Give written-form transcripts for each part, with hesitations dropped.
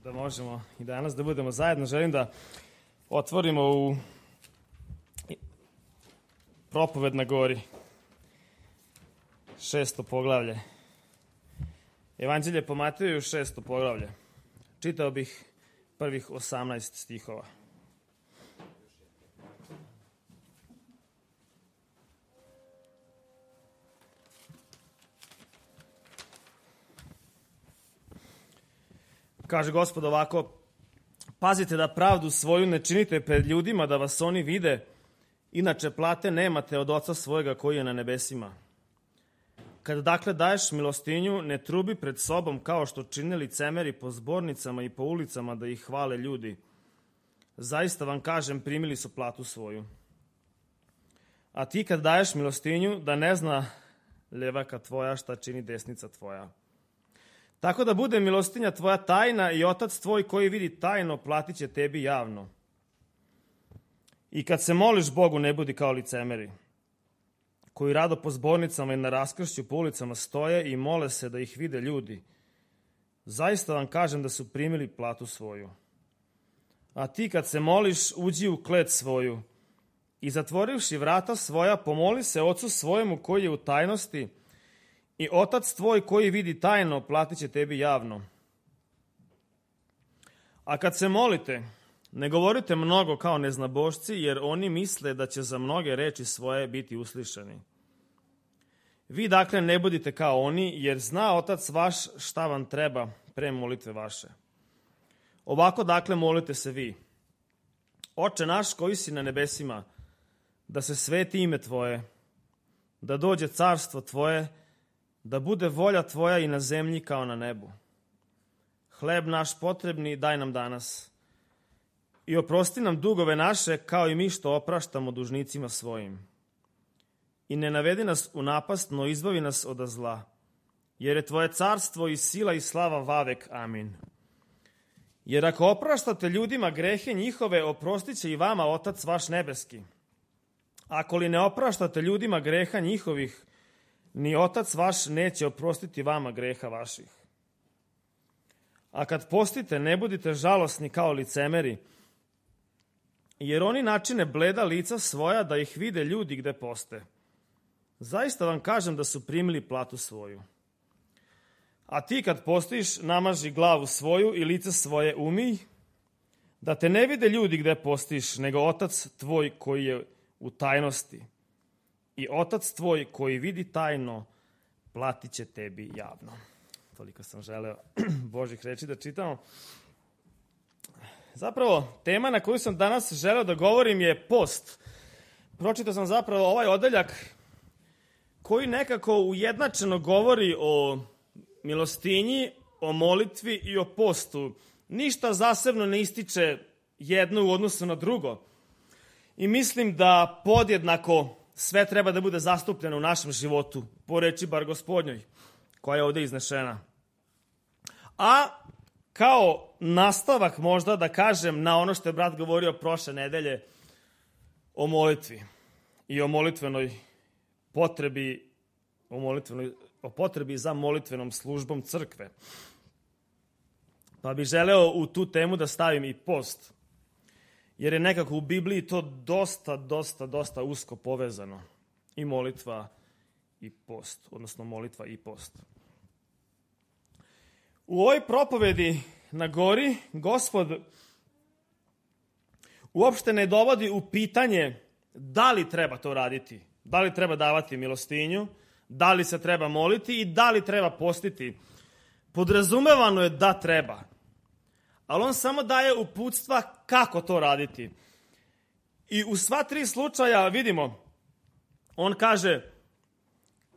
da možemo i danas da budemo zajedno. Želim da otvorimo u Propoved na gori, 6. poglavlje. Evanđelje po Mateju, 6. poglavlje. Čitao bih prvih 18 stihova. Kaže Gospod ovako: pazite da pravdu svoju ne činite pred ljudima, da vas oni vide, inače plate nemate od Oca svojega koji je na nebesima. Kad dakle daješ milostinju, ne trubi pred sobom kao što čine licemeri po zbornicama i po ulicama da ih hvale ljudi. Zaista vam kažem, primili su platu svoju. A ti kad daješ milostinju, da ne zna ljevaka tvoja šta čini desnica tvoja. Tako da bude milostinja tvoja tajna i Otac tvoj koji vidi tajno platit će tebi javno. I kad se moliš Bogu, ne budi kao licemeri, koji rado po zbornicama i na raskršću po ulicama stoje i mole se da ih vide ljudi. Zaista vam kažem da su primili platu svoju. A ti kad se moliš, uđi u klet svoju i zatvorivši vrata svoja, pomoli se Ocu svojemu koji je u tajnosti, i Otac tvoj koji vidi tajno platit će tebi javno. A kad se molite, ne govorite mnogo kao neznabošci, jer oni misle da će za mnoge reči svoje biti uslišani. Vi dakle ne budite kao oni, jer zna Otac vaš šta vam treba pre molitve vaše. Ovako dakle molite se vi: Oče naš koji si na nebesima, da se sveti ime tvoje, da dođe carstvo tvoje, da bude volja tvoja i na zemlji kao na nebu. Hleb naš potrebni daj nam danas i oprosti nam dugove naše kao i mi što opraštamo dužnicima svojim. I ne navedi nas u napast, no izbavi nas od zla, jer je tvoje carstvo i sila i slava vavek. Amin. Jer ako opraštate ljudima grehe njihove, oprostit će i vama Otac vaš nebeski. Ako li ne opraštate ljudima greha njihovih, ni Otac vaš neće oprostiti vama greha vaših. A kad postite, ne budite žalosni kao licemeri, jer oni načine bleda lica svoja da ih vide ljudi gde poste. Zaista vam kažem da su primili platu svoju. A ti kad postiš, namaži glavu svoju i lice svoje umij, da te ne vide ljudi gde postiš, nego Otac tvoj koji je u tajnosti. I Otac tvoj koji vidi tajno, platit će tebi javno. Toliko sam želeo Božih reči da čitamo. Zapravo, tema na koju sam danas želeo da govorim je post. Pročitao sam zapravo ovaj odeljak koji nekako ujednačeno govori o milostinji, o molitvi i o postu. Ništa zasebno ne ističe jedno u odnosu na drugo. I mislim da podjednako sve treba da bude zastupljeno u našem životu, po reči bar Gospodnjoj, koja je ovde iznešena. A kao nastavak možda da kažem na ono što je brat govorio prošle nedelje o molitvi i o molitvenoj potrebi, o potrebi za molitvenom službom crkve. Pa bih želeo u tu temu da stavim i post, jer je nekako u Bibliji to dosta usko povezano. I molitva i post, odnosno molitva i post. U ovoj propovedi na gori Gospod uopšte ne dovodi u pitanje da li treba to raditi, da li treba davati milostinju, da li se treba moliti i da li treba postiti. Podrazumevano je da treba. Ali on samo daje uputstva kako to raditi. I u sva tri slučaja vidimo, on kaže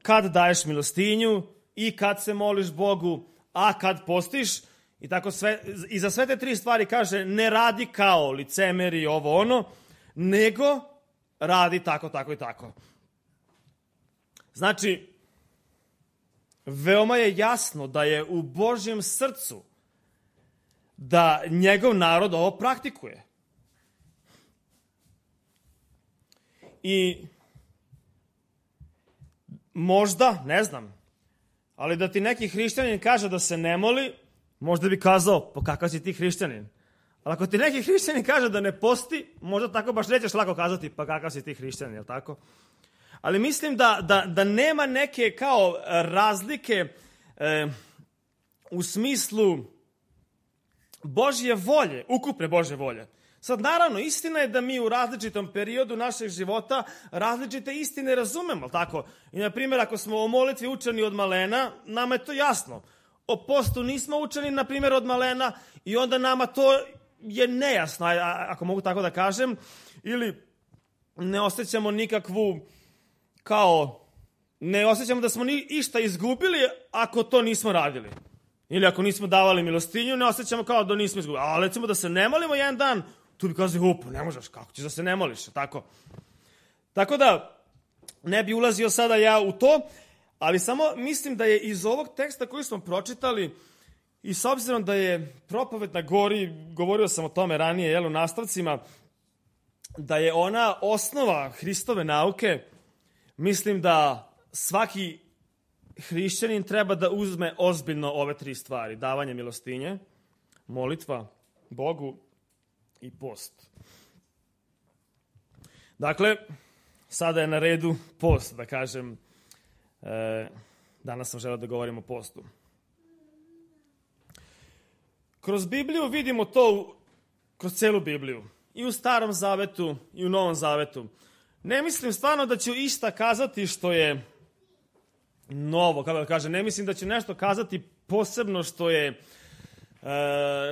kad daješ milostinju i kad se moliš Bogu, a kad postiš, i tako sve, i za sve te tri stvari kaže ne radi kao licemeri ovo ono, nego radi tako, tako i tako. Znači, veoma je jasno da je u Božjem srcu da njegov narod ovo praktikuje. I možda, ne znam, ali da ti neki hrišćanin kaže da se ne moli, Možda bi kazao, pa kakav si ti hrišćanin? Ali ako ti neki hrišćanin kaže da ne posti, možda tako baš nećeš lako kazati, pa kakav si ti hrišćanin, jel tako? Ali mislim da nema neke kao razlike u smislu Božje volje, ukupne Božje volje. Sad, naravno, istina je da mi u različitom periodu našeg života različite istine razumemo, tako? I, na primjer, ako smo o molitvi učeni od malena, nama je to jasno. O postu nismo učeni, na primjer, od malena i onda nama to je nejasno, ako mogu tako da kažem, ili ne osjećamo nikakvu, ne osjećamo da smo išta izgubili ako to nismo radili. Ili ako nismo davali milostinju, ne osjećamo kao da nismo izgubili. A recimo da se ne molimo jedan dan, tu bi kazali, ne možeš, kako ćeš da se ne moliš, tako? Tako da, ne bi ulazio sada ja u to, ali samo mislim da je iz ovog teksta koji smo pročitali, i s obzirom da je propoved na gori, govorio sam o tome ranije, u nastavcima, da je ona osnova Hristove nauke, mislim da svaki hrišćanin treba da uzme ozbiljno ove 3 stvari. Davanje milostinje, molitva Bogu i post. Dakle, sada je na redu post, da kažem. Danas sam želeo da govorim o postu. Kroz Bibliju vidimo to, kroz celu Bibliju. I u Starom Zavetu, i u Novom Zavetu. Ne mislim stvarno da ću išta kazati što je novo, kako da kažem. Ne mislim da ću nešto kazati posebno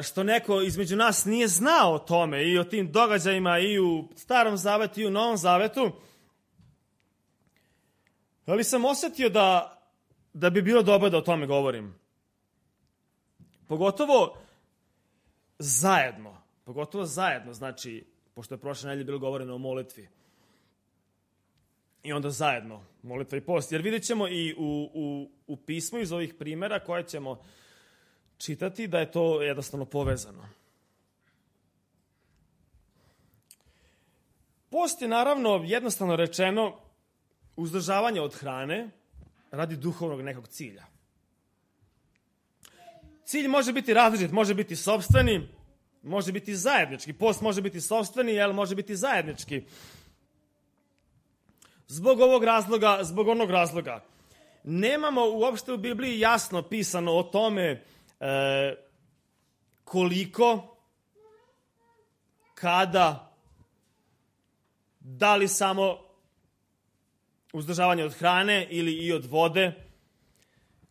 što neko između nas nije znao o tome i o tim događajima i u Starom Zavetu i u Novom Zavetu. Ali sam osjetio da bi bilo dobro da o tome govorim. Pogotovo zajedno, znači, pošto je prošle nedelje bilo govoreno o molitvi. I onda zajedno, molitva i post. Jer vidjet ćemo i u pismu iz ovih primjera koje ćemo čitati da je to jednostavno povezano. Post je naravno, jednostavno rečeno, uzdržavanje od hrane radi duhovnog nekog cilja. Cilj može biti različit, može biti sopstveni, može biti zajednički. Post može biti sopstveni, ali može biti zajednički. Zbog ovog razloga, zbog onog razloga. Nemamo uopšte u Bibliji jasno pisano o tome koliko, kada, da li samo uzdržavanje od hrane ili i od vode,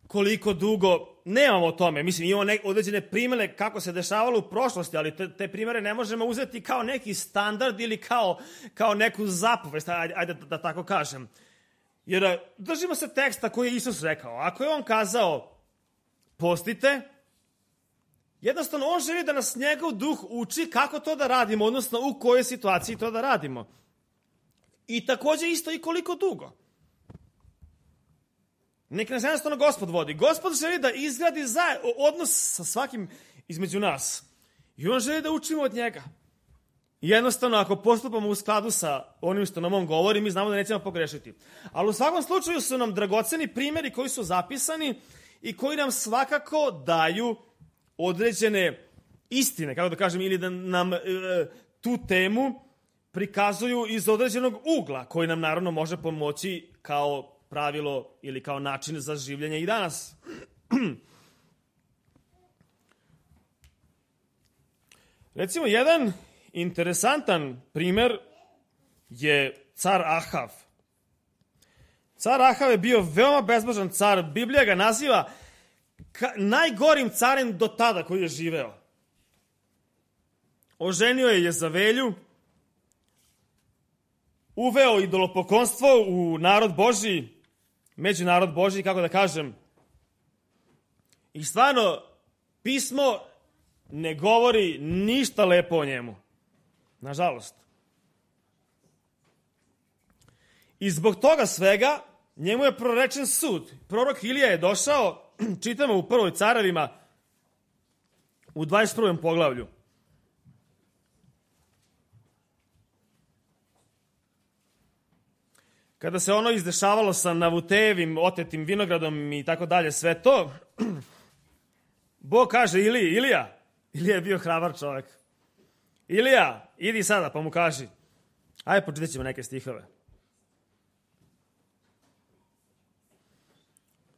koliko dugo, nemamo o tome. Mislim, imamo određene primjere kako se dešavalo u prošlosti, ali te primjere ne možemo uzeti kao neki standard ili kao neku zapovest, ajde da tako kažem. Jer držimo se teksta koji je Isus rekao. Ako je on kazao postite, jednostavno on želi da nas njegov duh uči kako to da radimo, odnosno u kojoj situaciji to da radimo. I također isto i koliko dugo. Nek nas jednostavno Gospod vodi. Gospod želi da izgradi odnos sa svakim između nas. I on želi da učimo od njega. I jednostavno, ako postupamo u skladu sa onim što nam on govori, mi znamo da nećemo pogrešiti. Ali u svakom slučaju su nam dragoceni primjeri koji su zapisani i koji nam svakako daju određene istine, kako da kažem, ili da nam tu temu prikazuju iz određenog ugla, koji nam naravno može pomoći kao pravilo ili kao način za življenje i danas. Recimo, jedan interesantan primjer je car Ahav. Car Ahav je bio veoma bezbožan car. Biblija ga naziva najgorim carem do tada koji je živeo. Oženio je Jezavelju, uveo idolopoklonstvo u narod Božji, među narod Božji, kako da kažem. I stvarno, pismo ne govori ništa lepo o njemu. Nažalost. I zbog toga svega, njemu je prorečen sud. Prorok Ilija je došao, čitamo u prvoj Carevima, u 21. poglavlju. Kada se ono izdešavalo sa Navutejevim otetim vinogradom i tako dalje, sve to, Bog kaže Ilija je bio hrabar čovjek. Ilija, idi sada pa mu kaži. Ajde, pročitat ćemo neke stihove.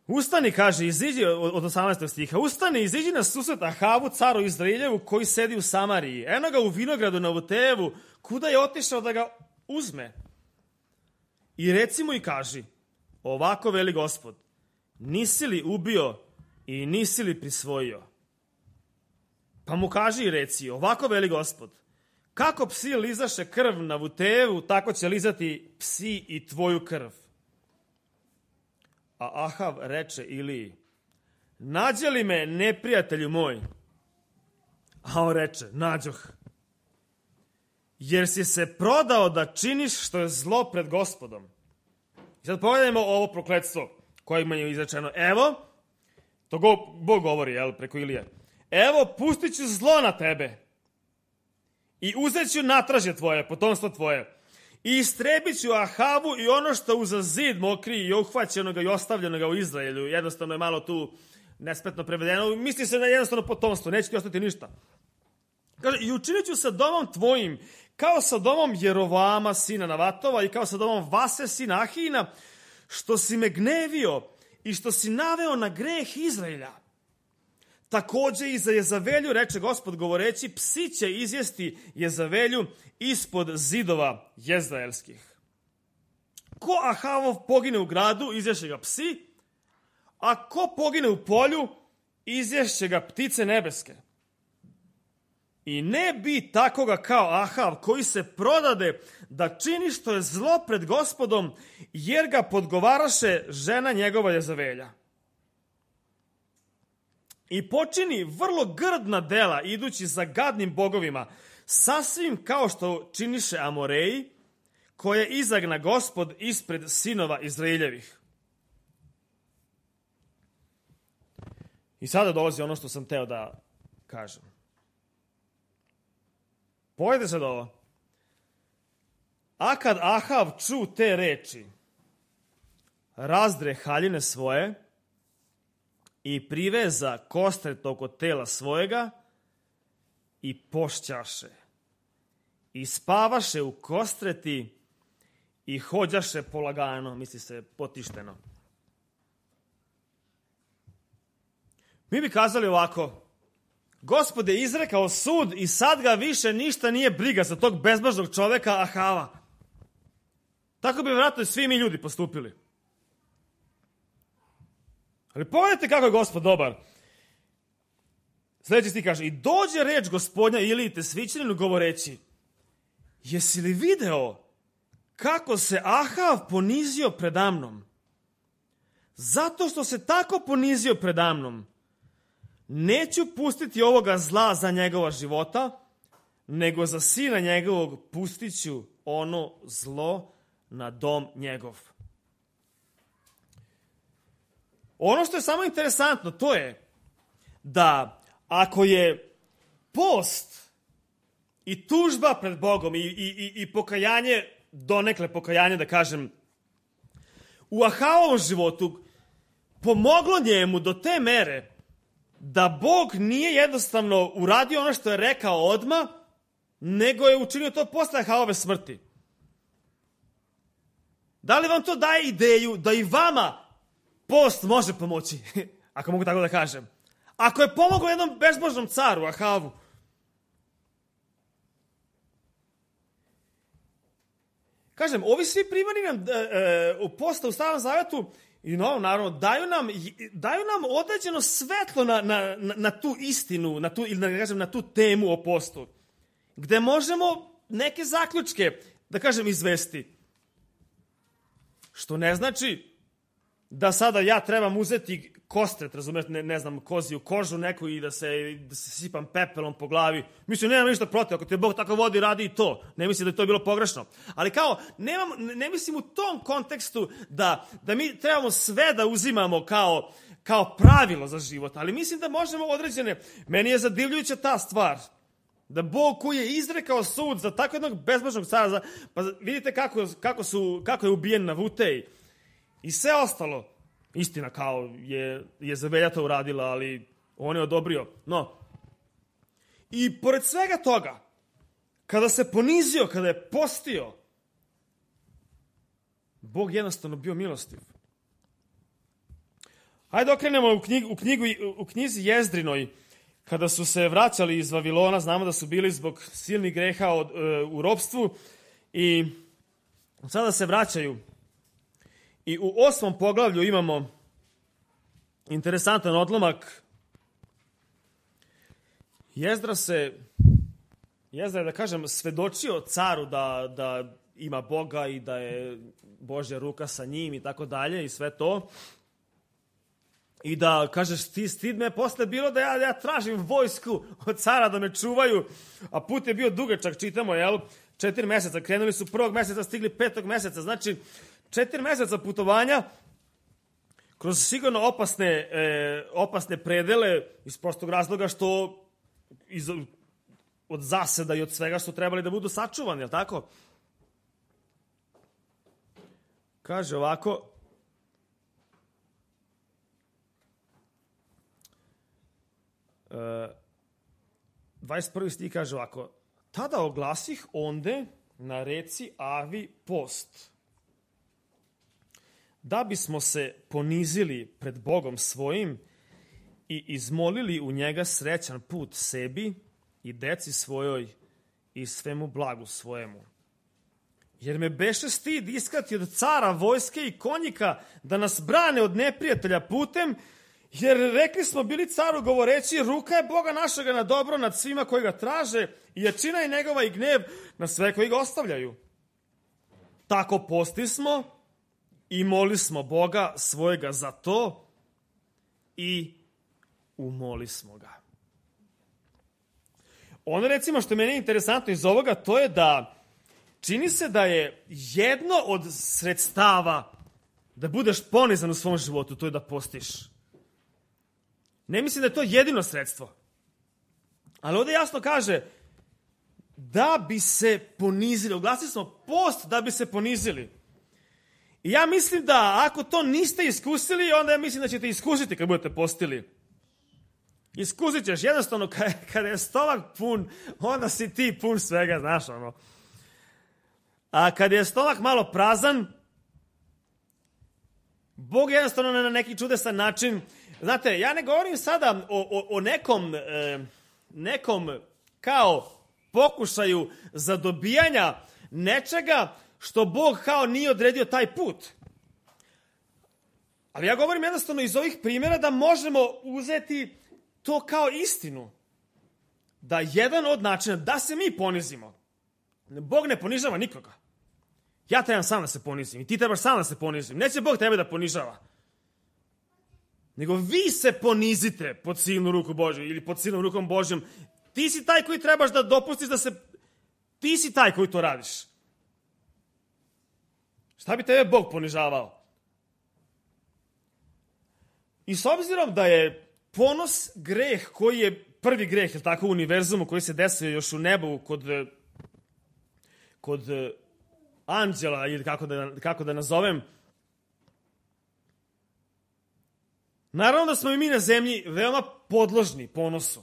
Ustani, kaže, iziđi od 18. stiha. Ustani, iziđi na susret Ahavu, caru Izraeljevu, koji sedi u Samariji. Eno ga u vinogradu na Navutejevu, kuda je otišao da ga uzme. I reci mu i kaži, ovako veli Gospod, nisi li ubio i nisi li prisvojio? Pa mu kaži i reci, ovako veli Gospod, kako psi lizaše krv na Navutejevu, tako će lizati psi i tvoju krv. A Ahav reče Iliji, nađe li me neprijatelju moj? A on reče, nađoh. Jer si se prodao da činiš što je zlo pred Gospodom. I sad pogledajmo ovo prokletstvo koje im je izrečeno. Evo, to Bog govori preko Ilije. Evo, pustit ću zlo na tebe i uzet ću natražje tvoje, potomstvo tvoje. I istrebit ću Ahavu i ono što uza zid mokri i uhvaćenoga i ostavljenoga u Izraelju. Jednostavno je malo tu nespretno prevedeno. Misli se na jednostavno potomstvo, neće ti ostati ništa. Kaže, i učinit ću sa domom tvojim kao sa domom Jerovama, sina Navatova, i kao sa domom Vase, sina Ahina, što si me gnevio i što si naveo na greh Izraelja. Također i za Jezavelju, reče Gospod govoreći, psi će izjesti Jezavelju ispod zidova jezraelskih. Ko Ahavov pogine u gradu, izješće ga psi, a ko pogine u polju, izješće ga ptice nebeske. I ne bi takoga kao Ahav, koji se prodade da čini što je zlo pred Gospodom, jer ga podgovaraše žena njegova Jezavelja. I počini vrlo grdna dela, idući za gadnim bogovima, sasvim kao što činiše Amoreji, koje izagna Gospod ispred sinova Izraeljevih. I sada dolazi ono što sam teo da kažem. Pogledajte sad ovo. A kad Ahav ču te reči, razdre haljine svoje i priveza kostret oko tela svojega i pošćaše. I spavaše u kostreti i hođaše polagano, misli se potišteno. Mi bi kazali ovako, Gospod je izrekao sud i sad ga više ništa nije briga za tog bezbožnog čoveka Ahava. Tako bi vjerojatno svi mi ljudi postupili. Ali pogledajte kako je Gospod dobar. Sljedeći stih kaže, i dođe reč Gospodnja Iliji Tesvićaninu govoreći, jesi li video kako se Ahav ponizio predamnom? Zato što se tako ponizio predamnom, neću pustiti ovoga zla za njegova života, nego za sina njegovog pustit ću ono zlo na dom njegov. Ono što je samo interesantno, to je da ako je post i tužba pred Bogom i pokajanje, donekle pokajanje, da kažem, u Ahavovom životu pomoglo njemu do te mere da Bog nije jednostavno uradio ono što je rekao odmah, nego je učinio to posle Ahavove smrti. Da li vam to daje ideju da i vama post može pomoći, ako mogu tako da kažem? Ako je pomoglo jednom bezbožnom caru, Ahavu, kažem, ovi svi primjeri nam u posta u Starom Zavetu i Novom, naravno, daju nam određeno svetlo na tu istinu, ili da kažem, na tu temu o postu, gde možemo neke zaključke, da kažem, izvesti. Što ne znači da sada ja trebam uzeti kostret, razumijete, ne znam, koziju kožu neku i da se sipam pepelom po glavi. Mislim, nemam ništa protiv, ako te Bog tako vodi, radi i to. Ne mislim da je to bilo pogrešno. Ali kao, ne mislim u tom kontekstu da mi trebamo sve da uzimamo kao pravilo za život, ali mislim da možemo određene, meni je zadivljujuća ta stvar, da Bog koji je izrekao sud za tako jednog bezbožnog cara, pa vidite kako je ubijen Navutej i sve ostalo. Istina, kao je Jezavelja to uradila, ali On je odobrio. No, i pored svega toga, kada se ponizio, kada je postio, Bog jednostavno bio milostiv. Hajde okrenemo u knjizi Jezdrinoj, kada su se vraćali iz Vavilona, znamo da su bili zbog silnih greha u ropstvu i sada se vraćaju. I u 8. poglavlju imamo interesantan odlomak. Jezdra je, da kažem, svedočio caru da ima Boga i da je Božja ruka sa njim i tako dalje i sve to. I da, kažeš, ti stid me posle bilo da ja tražim vojsku od cara da me čuvaju, a put je bio dugačak, čitamo, 4 meseca. Krenuli su 1. meseca, stigli 5. meseca. Znači, 4 meseca putovanja kroz sigurno opasne predele iz prostog razloga što od zaseda i od svega su trebali da budu sačuvani, je li tako? Kaže ovako, uh, 21. stih kaže ovako, tada oglasih onde na reci Avi post, da bismo se ponizili pred Bogom svojim i izmolili u njega srećan put sebi i deci svojoj i svemu blagu svojemu. Jer me beše stid iskati od cara, vojske i konjika da nas brane od neprijatelja putem, jer rekli smo bili caru govoreći, ruka je Boga našega na dobro nad svima koji ga traže i jačina je njegova i gnev na sve koji ga ostavljaju. Tako postismo i moli smo Boga svojega za to i umoli smo ga. Ono, recimo, što meni je interesantno iz ovoga, to je da čini se da je jedno od sredstava da budeš ponizan u svom životu, to je da postiš. Ne mislim da je to jedino sredstvo. Ali ovdje jasno kaže da bi se ponizili. Oglasili smo post da bi se ponizili. I ja mislim da ako to niste iskusili, onda ja mislim da ćete iskusiti kad budete postili. Iskusit ćeš. Jednostavno, kada je stomak pun, onda si ti pun svega, znaš ono. A kad je stomak malo prazan, Bog jednostavno na neki čudesan način. Znate, ja ne govorim sada o nekom kao pokušaju zadobijanja nečega što Bog kao nije odredio taj put. Ali ja govorim jednostavno iz ovih primjera da možemo uzeti to kao istinu. Da jedan od načina da se mi ponizimo. Bog ne ponižava nikoga. Ja trebam sam da se ponizim i ti trebaš sam da se ponizim. Neće Bog tebe da ponižava. Nego vi se ponizite pod silnu ruku Božju ili pod silnom rukom Božjom. Ti si taj koji trebaš da dopustiš da se... Ti si taj koji to radiš. Šta bi tebe Bog ponižavao? I s obzirom da je ponos greh koji je prvi greh, je tako, u univerzumu koji se desio još u nebu kod anđela ili kako da nazovem. Naravno da smo i mi na zemlji veoma podložni ponosu.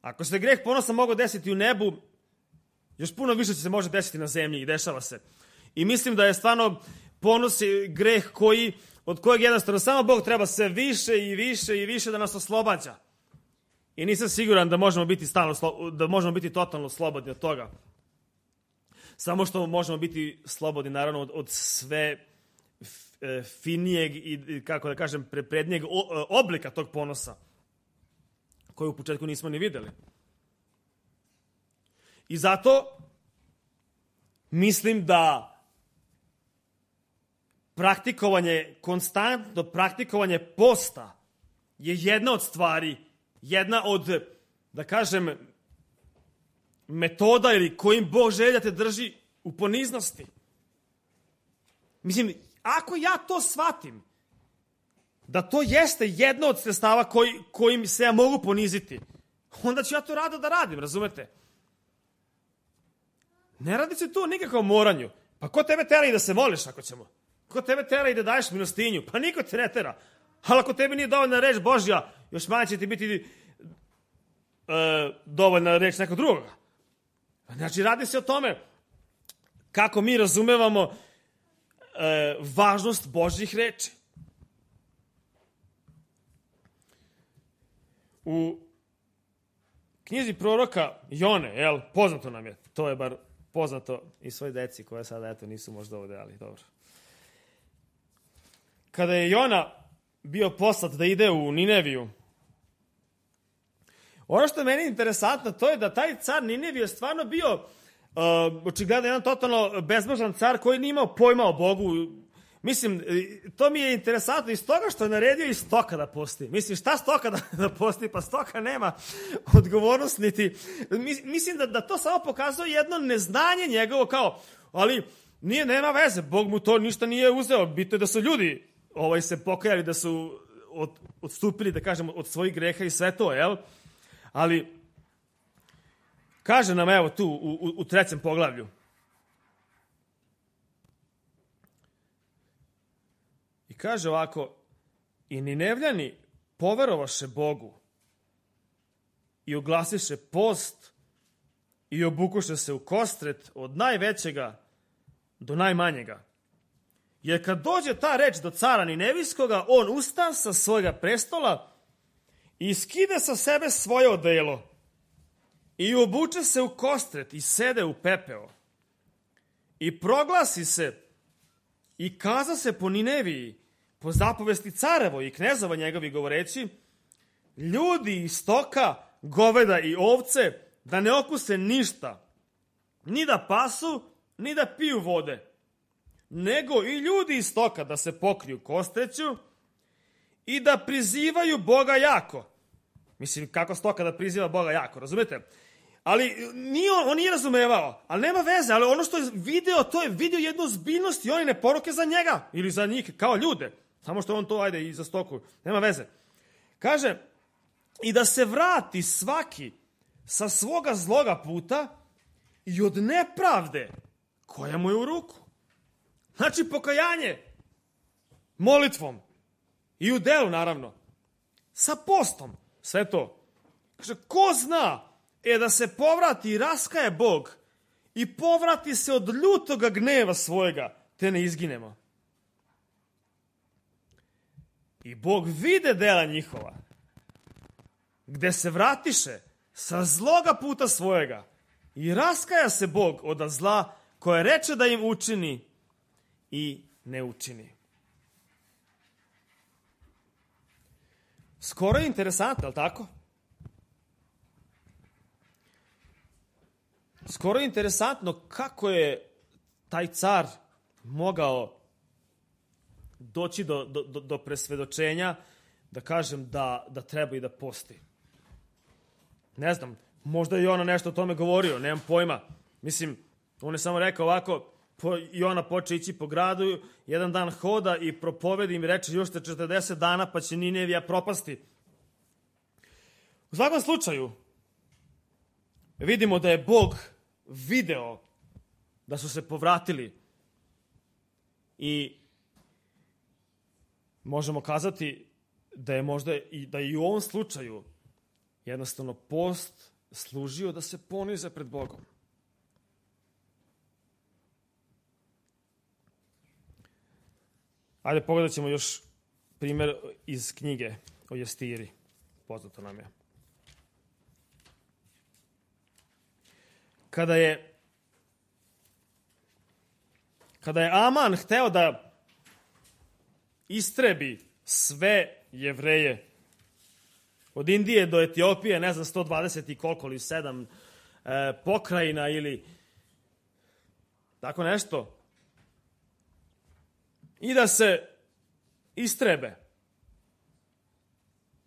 Ako se greh ponosa mogao desiti u nebu, još puno više se može desiti na zemlji i dešava se. I mislim da je stvarno ponos greh od kojeg jednostavno samo Bog treba sve više i više i više da nas oslobađa. I nisam siguran da možemo biti totalno slobodni od toga. Samo što možemo biti slobodni, naravno, od sve finijeg i, kako da kažem, prednjeg oblika tog ponosa, koji u početku nismo ni videli. I zato mislim da konstantno praktikovanje posta je jedna od stvari, jedna od, da kažem, metoda ili kojim Bog želi da te drži u poniznosti. Mislim, ako ja to shvatim, da to jeste jedno od sredstava kojim se ja mogu poniziti, onda ću ja to rado da radim, razumete? Ne radi se tu o nikakvom moranju. Pa ko tebe tera i da se moliš ako ćemo? Ko tebe tera i da daješ milostinju? Pa niko te ne tera. Ali ako tebi nije dovoljna reč Božja još manje će ti biti dovoljna reč nekog drugoga. Znači, radi se o tome kako mi razumevamo važnost Božjih reči. U knjizi proroka Jone, poznato nam je, to je bar poznato i svoj deci koje sada nisu možda ovde, ali dobro. Kada je Jona bio poslat da ide u Nineviju, ono što je meni interesantno, to je da taj car Ninevije je stvarno bio očigledno jedan totalno bezbožan car koji nije imao pojma o Bogu. Mislim, to mi je interesantno iz toga što je naredio i stoka da posti. Mislim, šta stoka da posti? Pa stoka nema odgovornost niti... Mislim da to samo pokazuje jedno neznanje njegovo kao, ali nema veze, Bog mu to ništa nije uzeo. Bitno je da su ljudi se pokajali, da su odstupili, da kažem, od svojih greha i sve to, Ali, kaže nam, evo tu, u 3. poglavlju. I kaže ovako, i Ninevljani poverovaše Bogu i oglasiše post i obukuše se u kostret od najvećega do najmanjega. Jer kad dođe ta reč do cara Ninevijskoga, on usta sa svojega prestola i skide sa sebe svoje odelo i obuče se u kostret i sede u pepeo i proglasi se i kaza se po Nineviji po zapovesti carevo i knezova njegovi govoreći, ljudi iz stoka, goveda i ovce da ne okuse ništa, ni da pasu, ni da piju vode, nego i ljudi iz stoka da se pokriju kostreću i da prizivaju Boga jako. Mislim, kako stoka da priziva Boga jako, razumete? Ali on nije razumevao, ali nema veze, ali ono što je video, to je video jednu ozbiljnost i one ne poruke za njega ili za njih kao ljude. Samo što on to, i za stoku, nema veze. Kaže, i da se vrati svaki sa svoga zloga puta i od nepravde koja mu je u ruku. Znači, pokajanje molitvom i u delu, naravno, sa postom, sve to. Kaže, ko zna, da se povrati i raskaje Bog i povrati se od ljutoga gneva svojega, te ne izginemo. I Bog vide dela njihova, gde se vratiše sa zloga puta svojega i raskaja se Bog od zla koje reče da im učini i ne učini. Skoro je interesantno, ali tako? Skoro je interesantno kako je taj car mogao doći do presvedočenja, da kažem da treba i da posti. Ne znam, možda je Jona nešto o tome govorio, nemam pojma. Mislim, on je samo rekao ovako, Jona poče ići po gradu, jedan dan hoda i propovedi im reče još 40 dana pa će Ninevija propasti. U svakom slučaju, vidimo da je Bog video da su se povratili i možemo kazati da je možda da i u ovom slučaju jednostavno post služio da se ponize pred Bogom. Ajde, pogledat ćemo još primjer iz knjige o Jestiri. Poznato nam je. Kada je Aman hteo da istrebi sve Jevreje od Indije do Etiopije, ne znam, 120 i koliko ili 7 pokrajina ili tako nešto, i da se istrebe.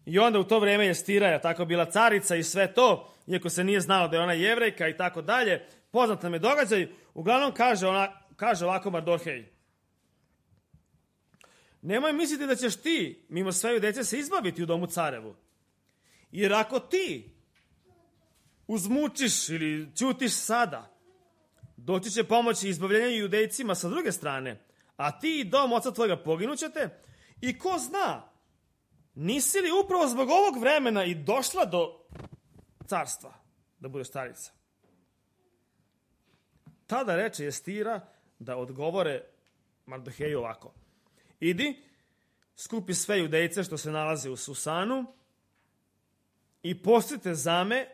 I onda u to vreme Jestira tako bila carica i sve to, iako se nije znalo da je ona Jevrejka i tako dalje, poznat nam je događaj. Uglavnom kaže ovako Mardohej: nemoj misliti da ćeš ti, mimo svoje dece, se izbaviti u domu carevu. Jer ako ti uzmučiš ili ćutiš sada, doći će pomoći izbavljenju Judejcima sa druge strane, a ti i dom oca tvojega poginućete, i ko zna, nisi li upravo zbog ovog vremena i došla do carstva, da budeš carica? Tada reče Estira da odgovore Mardoheju ovako: idi, skupi sve Judejce što se nalaze u Susanu i postite zame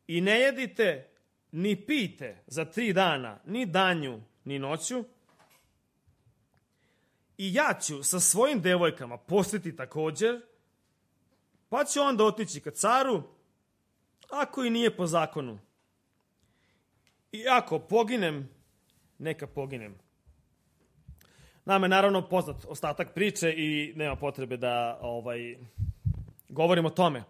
i ne jedite ni pijte za 3 dana, ni danju, ni noću. I ja ću sa svojim devojkama postiti također, pa ću onda otići ka caru, ako i nije po zakonu. I ako poginem, neka poginem. Nama je naravno poznat ostatak priče i nema potrebe da govorimo o tome.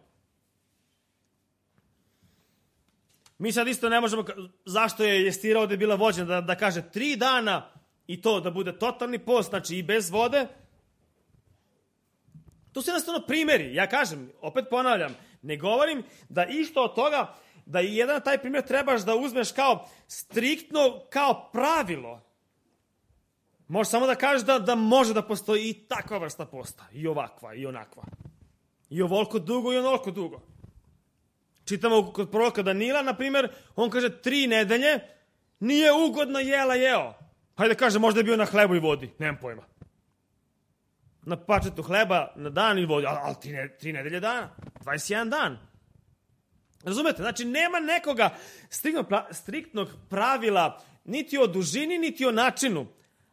Mi sad isto ne možemo, zašto je Estira ovdje bila vođena, da kaže 3 dana i to da bude totalni post, znači i bez vode. To su jednostavno primjeri. Ja kažem, opet ponavljam, ne govorim da isto od toga, da i jedan taj primjer trebaš da uzmeš kao striktno, kao pravilo. Možeš samo da kažeš da može da postoji i takva vrsta posta, i ovakva, i onakva. I ovoliko dugo, i onoliko dugo. Čitamo kod proroka Danila, na primjer, on kaže 3 nedelje nije ugodno jeo. Hajde kaže, možda je bio na hlebu i vodi, nemam pojma. Na pačetu hleba, na dan i vodi, ali 3 nedelje dana, 21 dan. Razumete? Znači, nema nekoga striktnog pravila niti o dužini, niti o načinu.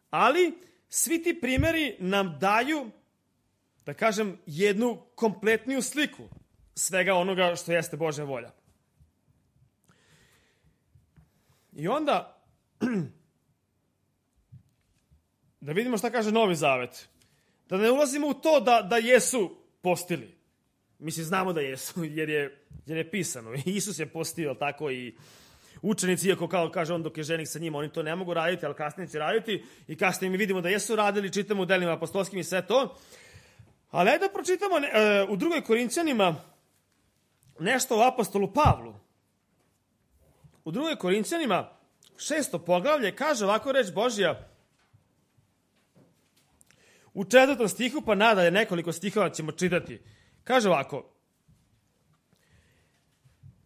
Ali, svi ti primjeri nam daju, da kažem, jednu kompletniju sliku svega onoga što jeste Božja volja. I onda, da vidimo šta kaže Novi Zavet. Da ne ulazimo u to da jesu postili. Mislim, znamo da jesu, jer je pisano. Isus je postio, tako i učenici, iako kao kaže on dok je ženik sa njima, oni to ne mogu raditi, ali kasnije će raditi. I kasnije mi vidimo da jesu radili, čitamo u delima apostolskim i sve to. Ali ajde da pročitamo u 2. Korinćanima nešto o apostolu Pavlu. U 2. Korinćanima 6. poglavlje kaže ovako reč Božja. U 4. stihu, pa nadalje nekoliko stihova ćemo čitati. Kaže ovako.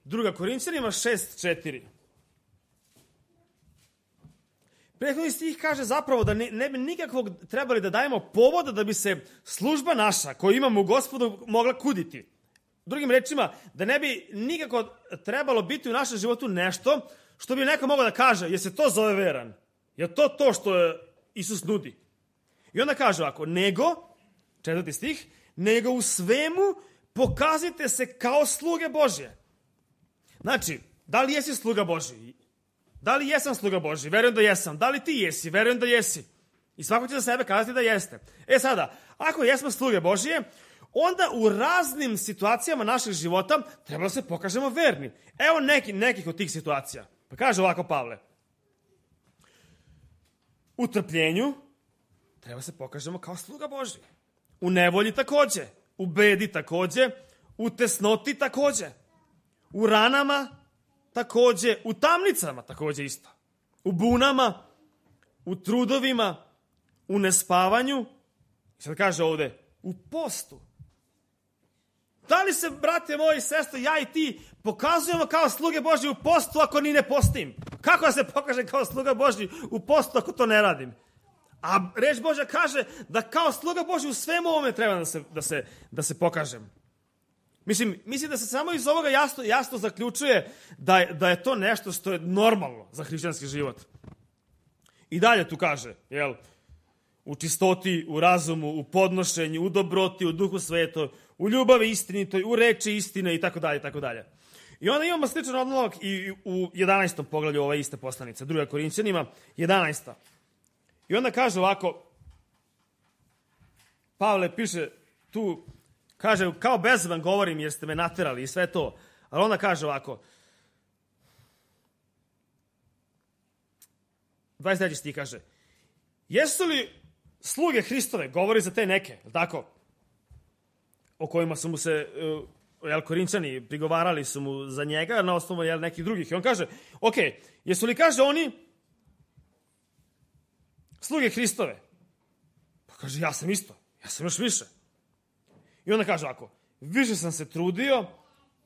2. Korinćanima 6:4. Prethodni stih kaže zapravo da ne bi nikakvog trebali da dajemo povoda da bi se služba naša koju imamo u Gospodu mogla kuditi. Drugim rečima, da ne bi nikako trebalo biti u našem životu nešto što bi neko mogao da kaže, jer se to zove veran. Je to što Isus nudi. I onda kaže ovako, nego, 4. stih, nego u svemu pokazite se kao sluge Božje. Znači, da li jesi sluga Božji? Da li jesam sluga Božji? Verujem da jesam. Da li ti jesi? Verujem da jesi. I svako će za sebe kazati da jeste. Sada, ako jesmo sluge Božje, onda u raznim situacijama našeg života treba da se pokažemo verni. Evo nekih od tih situacija. Pa kaže ovako Pavle. U trpljenju treba se pokažemo kao sluga Božji. U nevolji takođe. U bedi takođe. U tesnoti takođe. U ranama takođe. U tamnicama takođe isto. U bunama. U trudovima. U nespavanju. I sad kaže ovde. U postu. Da li se, brate moji i sestre, ja i ti pokazujemo kao sluge Božje u postu ako ni ne postim? Kako da se pokaže kao sluga Božji u postu ako to ne radim? A reč Božja kaže da kao sluga Božji u svemu ovome treba da se pokažem. Mislim da se samo iz ovoga jasno zaključuje da je to nešto što je normalno za hrišćanski život. I dalje tu kaže, u čistoti, u razumu, u podnošenju, u dobroti, u duhu svetoj, u ljubavi istinitoj, u reči istine i tako dalje, i tako dalje. I onda imamo sličan odlomak i u 11. poglavlju ove iste poslanice, 2. Korinćanima, 11. I onda kaže ovako, Pavle piše tu, kaže, kao bez vam govorim jer ste me naterali i sve to, ali onda kaže ovako, 23. stih kaže, jesu li sluge Hristove, govori za te neke, tako, o kojima su mu se Korinćani prigovarali su mu za njega na osnovu nekih drugih. I on kaže, jesu li, kaže, oni sluge Hristove? Pa kaže, ja sam isto, ja sam još više. I onda kaže ovako, više sam se trudio,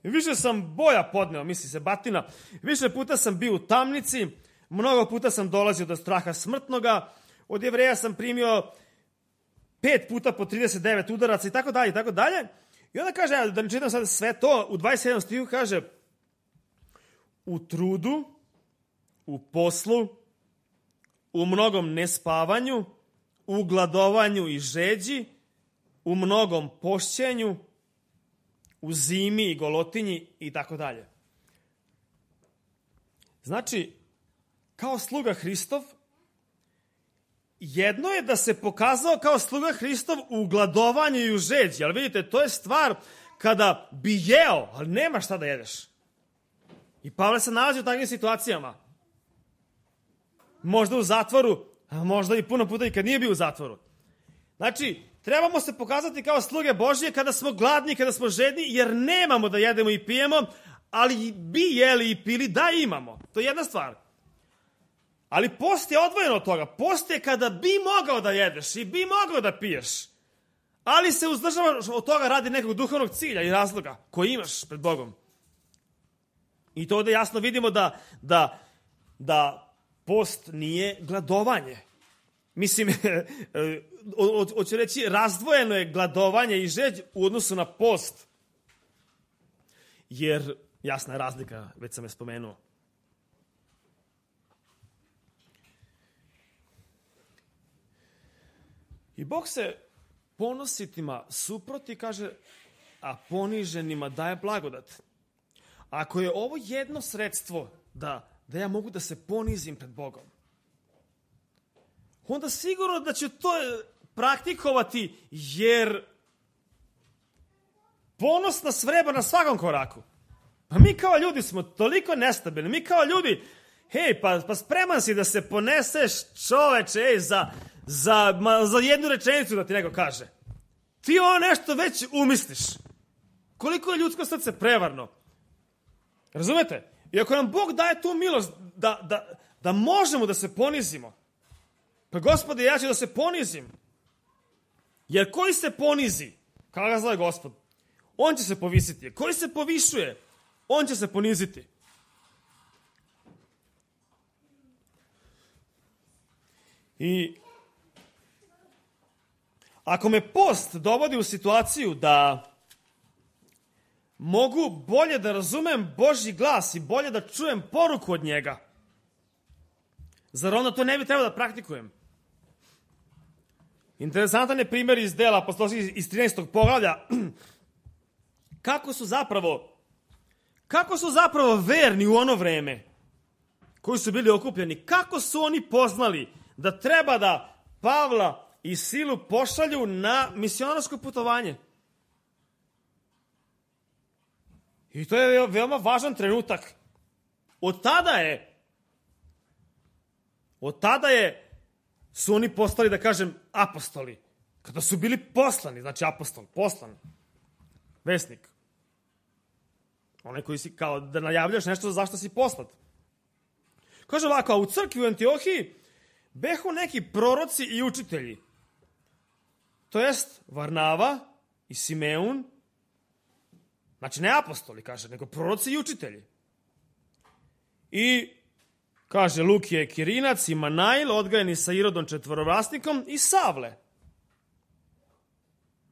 više sam boja podneo, misli se batina, više puta sam bio u tamnici, mnogo puta sam dolazio do straha smrtnoga, od Jevreja sam primio 5 puta po 39 udaraca i tako dalje, i tako dalje. I onda kaže, da ne čitam sad sve to, u 27. stihu kaže, u trudu, u poslu, u mnogom nespavanju, u gladovanju i žeđi, u mnogom pošćenju, u zimi i golotinji i tako dalje. Znači, kao sluga Hristov, jedno je da se pokazao kao sluga Hristov u gladovanju i u žeđi, ali vidite, to je stvar kada bi jeo, ali nema šta da jedeš. I Pavle se nalazi u takvim situacijama. Možda u zatvoru, a možda i puno puta i kad nije bio u zatvoru. Znači, trebamo se pokazati kao sluge Božje kada smo gladni, kada smo žedni, jer nemamo da jedemo i pijemo, ali bi jeli i pili da imamo. To je jedna stvar. Ali post je odvojeno od toga. Post je kada bi mogao da jedeš i bi mogao da piješ. Ali se uzdržavaš od toga radi nekog duhovnog cilja i razloga koji imaš pred Bogom. I to ovdje jasno vidimo da post nije gladovanje. Mislim, hoću reći, razdvojeno je gladovanje i žeđ u odnosu na post. Jer jasna je razlika, već sam je spomenuo. I Bog se ponositima suproti, kaže, a poniženima daje blagodat. Ako je ovo jedno sredstvo da ja mogu da se ponizim pred Bogom, onda sigurno da ću to praktikovati, jer ponos nas vreba na svakom koraku. Pa mi kao ljudi smo toliko nestabilni. Mi kao ljudi, hej, pa spreman si da se poneseš, čoveče, za jednu rečenicu da ti neko kaže. Ti ovo nešto već umisliš. Koliko je ljudsko srce prevarno. Razumete? I ako nam Bog daje tu milost da možemo da se ponizimo, pa Gospode, ja ću da se ponizim. Jer koji se ponizi, kao ga zove Gospod, on će se povisiti. Koji se povišuje, on će se poniziti. I ako me post dovodi u situaciju da mogu bolje da razumem Božji glas i bolje da čujem poruku od njega, zar onda to ne bi trebalo da praktikujem? Interesantan je primjer iz dela apostolskih iz 13. poglavlja. Kako su zapravo verni u ono vreme koji su bili okupljeni, kako su oni poznali da treba da Pavla i Silu pošalju na misionarsko putovanje. I to je veoma važan trenutak. Od tada su oni postali, da kažem, apostoli. Kada su bili poslani, znači apostol, poslan, vesnik. Onaj koji si kao da najavljaš nešto zašto si poslat. Kaže ovako, a u crkvi u Antiohiji behu neki proroci i učitelji. To jest Varnava i Simeun. Znači ne apostoli, kaže, nego proroci i učitelji. I kaže Lukije Kirinac i Manail, odgajeni sa Irodom četvorovlasnikom, i Savle.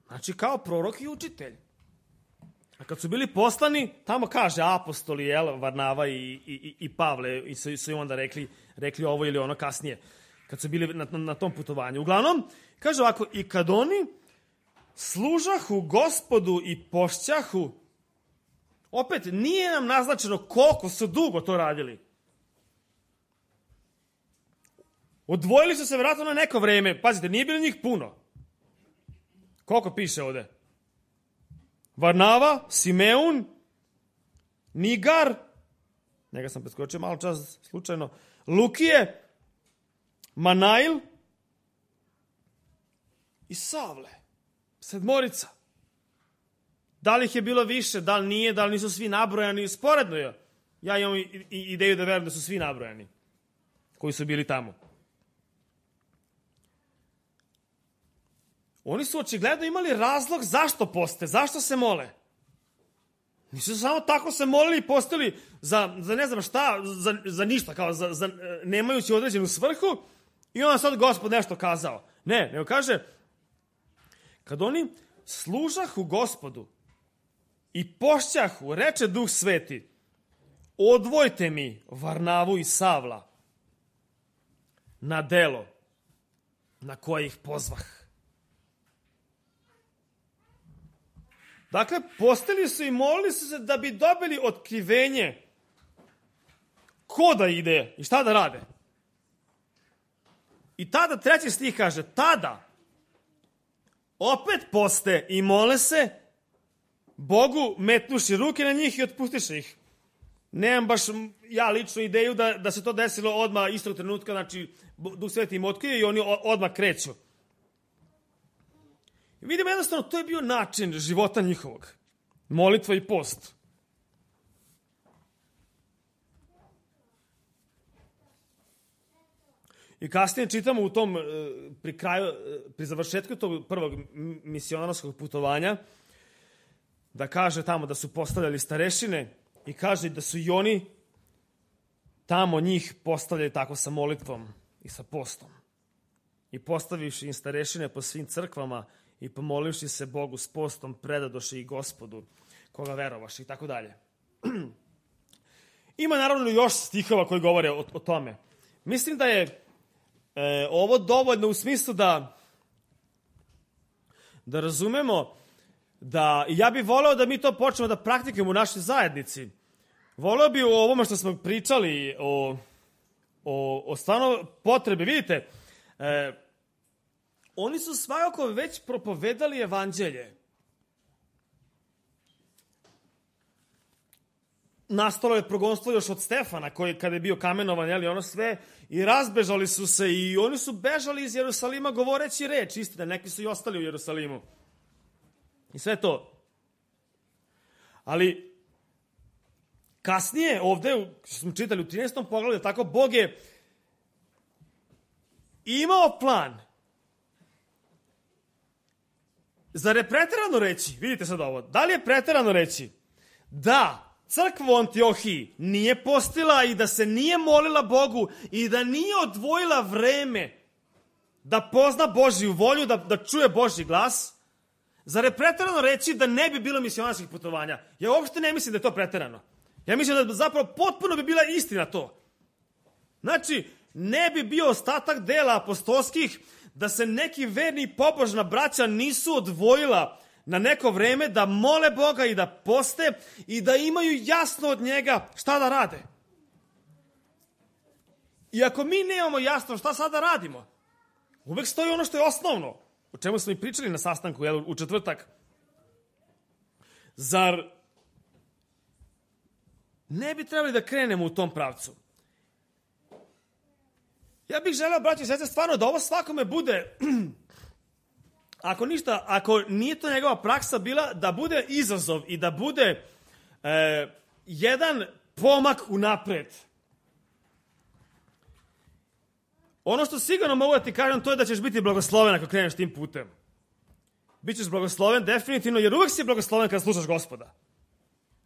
Znači kao prorok i učitelj. A kad su bili poslani, tamo kaže apostoli, Varnava i Pavle, i su im onda rekli ovo ili ono kasnije, kad su bili na tom putovanju. Uglavnom, kaže ovako, i kad oni služahu Gospodu i pošćahu, opet nije nam naznačeno koliko su dugo to radili. Odvojili su se vjerojatno na neko vreme. Pazite, nije bilo njih puno. Koliko piše ovde? Varnava, Simeun, Nigar, njega sam preskočio malo čas slučajno, Lukije, Manail i Savle. 7. Da li ih je bilo više, da li nije, da li nisu svi nabrojani, sporedno je. Ja imam ideju da verujem da su svi nabrojani koji su bili tamo. Oni su očigledno imali razlog zašto poste, zašto se mole. Nisu samo tako se molili i postili za ne znam šta, za ništa, kao za nemajući određenu svrhu i onda sad Gospod nešto kazao. Ne, nego kaže, kad oni služahu Gospodu i pošćahu, reče Duh Sveti, odvojte mi Varnavu i Savla na delo na koje ih pozvah. Dakle, postili su i molili su se da bi dobili otkrivenje ko da ide i šta da rade. I tada 3. stih kaže, tada opet poste i mole se Bogu, metnuši ruke na njih i otpustiše ih. Nemam baš ja ličnu ideju da se to desilo odmah istog trenutka, znači Duh Sveti im otkrije i oni odmah kreću. I vidimo jednostavno, to je bio način života njihovog. Molitva i post. I kasnije čitamo u tom, pri završetku tog prvog misionarskog putovanja, da kaže tamo da su postavljali starešine i kaže da su i oni tamo njih postavljali tako sa molitvom i sa postom. I postavivši im starešine po svim crkvama i pomolivši se Bogu s postom, predadoše i Gospodu, koga verovaš i tako dalje. Ima naravno još stihova koji govore o tome. Mislim da je ovo dovoljno u smislu da razumemo da, ja bih voleo da mi to počnemo da praktikujemo u našoj zajednici. Voleo bih o ovome što smo pričali, o stvarno potrebe. Vidite, oni su svakako već propovedali evanđelje. Nastalo je progonstvo još od Stefana, koji kada je bio kamenovan, jeli, ono sve, i razbežali su se i oni su bežali iz Jerusalima govoreći reč, istina, neki su i ostali u Jerusalimu. I sve to. Ali kasnije ovde, što smo čitali u 13. poglavlju, tako Bog je imao plan. Zar je preterano reći, vidite sad ovo, da li je preterano reći da crkva u Antiohiji nije postila i da se nije molila Bogu i da nije odvojila vreme da pozna Božju volju, da čuje Božji glas? Zar je preterano reći da ne bi bilo misionarskih putovanja? Ja uopšte ne mislim da je to preterano. Ja mislim da zapravo potpuno bi bila istina to. Znači, ne bi bio ostatak dela apostolskih da se neki verni i pobožna braća nisu odvojila na neko vreme da mole Boga i da poste i da imaju jasno od njega šta da rade. I ako mi nemamo jasno šta sada radimo, uvek stoji ono što je osnovno, o čemu smo i pričali na sastanku u četvrtak. Zar ne bi trebali da krenemo u tom pravcu? Ja bih želeo, braći i sestre, stvarno da ovo svakome bude, ako ništa, ako nije to njegova praksa bila, da bude izazov i da bude jedan pomak unapred. Ono što sigurno mogu da ti kažem, to je da ćeš biti blagosloven ako kreneš tim putem. Bićeš blagosloven definitivno, jer uvek si blagosloven kada slušaš Gospoda.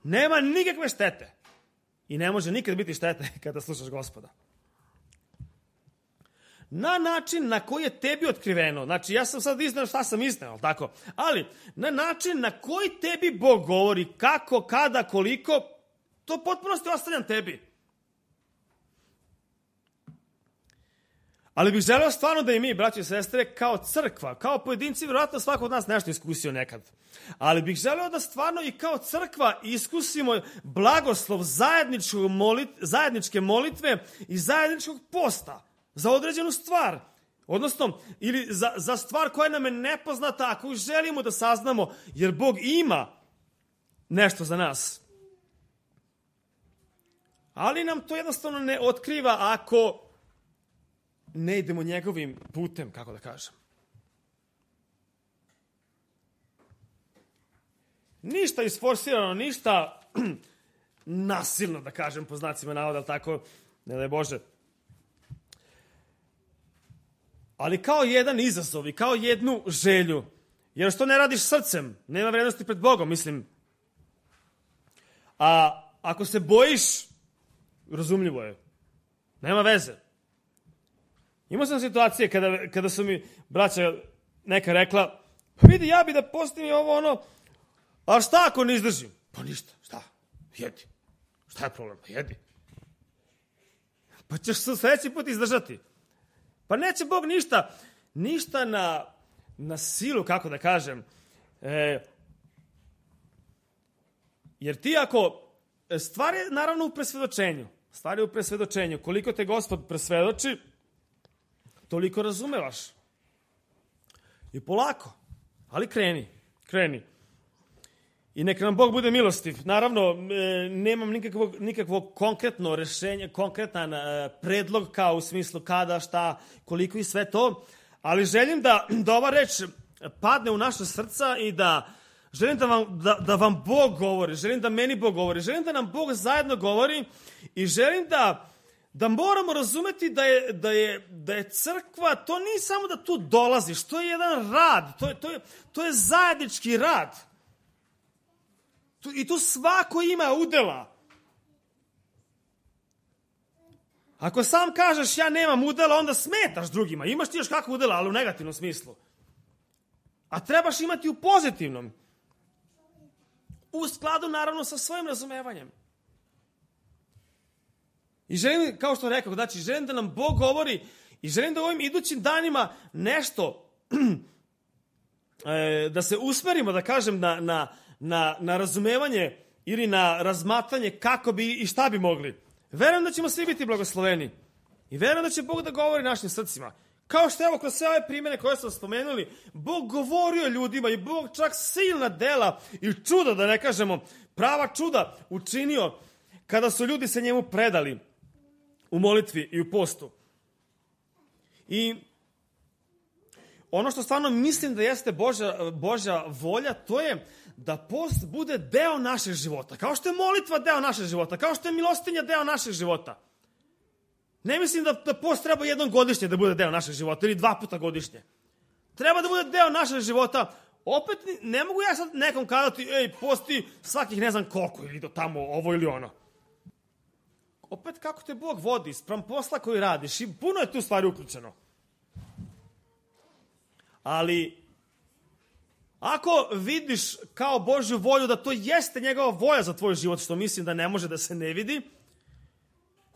Nema nikakve štete. I ne može nikad biti štete kada slušaš Gospoda. Na način na koji je tebi otkriveno. Znači, ja sam sad iznao šta sam iznao, tako? Ali, na način na koji tebi Bog govori, kako, kada, koliko, to potpuno ti ostavljam tebi. Ali bih želeo stvarno da i mi, braći i sestre, kao crkva, kao pojedinci, vjerojatno svako od nas nešto iskusio nekad. Ali bih želeo da stvarno i kao crkva iskusimo blagoslov zajedničke molitve i zajedničkog posta za određenu stvar. Odnosno, ili za stvar koja nam je nepoznata, ako želimo da saznamo, jer Bog ima nešto za nas. Ali nam to jednostavno ne otkriva ako ne idemo njegovim putem, kako da kažem. Ništa isforsirano, ništa nasilno, da kažem, po znacima navoda, ali tako, ne daj Bože. ali kao jedan izazov i kao jednu želju. Jer što ne radiš srcem, nema vrednosti pred Bogom, mislim. A ako se bojiš, razumljivo je. Nema veze. Imao sam situacije kada su mi braća neka rekla, pa vidi, ja bi da postim ovo ono, a šta ako ne izdržim? Pa ništa, šta? Jedi. Šta je problem? Jedi. Pa ćeš se sljedeći put izdržati. Pa neće Bog ništa na silu, kako da kažem. Jer ti ako, stvar je naravno u presvedočenju. Stvar je u presvedočenju. Koliko te Gospod presvedoči, toliko razumevaš. I polako. Ali kreni. I neka nam Bog bude milostiv. Naravno, nemam nikakvog konkretno rešenje, konkretan predlog kao u smislu kada, šta, koliko i sve to. Ali želim da ova reč padne u naše srca i da želim da vam Bog govori. Želim da meni Bog govori. Želim da nam Bog zajedno govori i želim da moramo razumeti da je crkva, to nije samo da tu dolaziš, to je jedan rad, to je zajednički rad. I tu svako ima udela. Ako sam kažeš ja nemam udela, onda smetaš drugima. Imaš ti još kakvu udela, ali u negativnom smislu. A trebaš imati u pozitivnom. U skladu naravno sa svojim razumevanjem. I želim, kao što rekao, znači želim da nam Bog govori i želim da u ovim idućim danima nešto da se usmerimo, da kažem, na razumevanje ili na razmatranje kako bi i šta bi mogli. Verujem da ćemo svi biti blagosloveni. I verujem da će Bog da govori našim srcima. Kao što evo kroz sve ove primjere koje smo spomenuli, Bog govorio ljudima i Bog čak silna dela i čuda, da ne kažemo, prava čuda učinio kada su ljudi se njemu predali u molitvi i u postu. I ono što stvarno mislim da jeste Božja volja, to je da post bude deo našeg života. Kao što je molitva deo našeg života, kao što je milostinja deo našeg života. Ne mislim da post treba jednom godišnje da bude deo našeg života ili 2 puta godišnje. Treba da bude deo našeg života. Opet ne mogu ja sad nekom kazati, posti svakih ne znam koliko ili do tamo ovo ili ono. Opet kako te Bog vodi, spram posla koji radiš i puno je tu stvari uključeno. Ali ako vidiš kao Božju volju da to jeste njegova volja za tvoj život, što mislim da ne može da se ne vidi,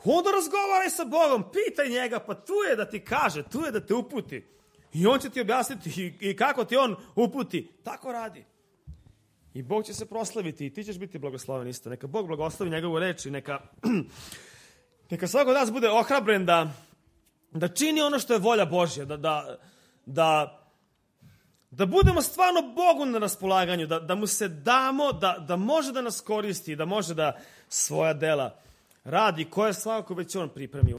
onda razgovaraj sa Bogom, pitaj njega, pa tu je da ti kaže, tu je da te uputi. I on će ti objasniti i kako ti on uputi. Tako radi. I Bog će se proslaviti i ti ćeš biti blagosloven isto. Neka Bog blagoslovi njegovu reč i neka svako od nas bude ohrabren da čini ono što je volja Božja, da budemo stvarno Bogu na raspolaganju, da mu se damo, da može da nas koristi, da može da svoja dela radi, koje svakako već on pripremio.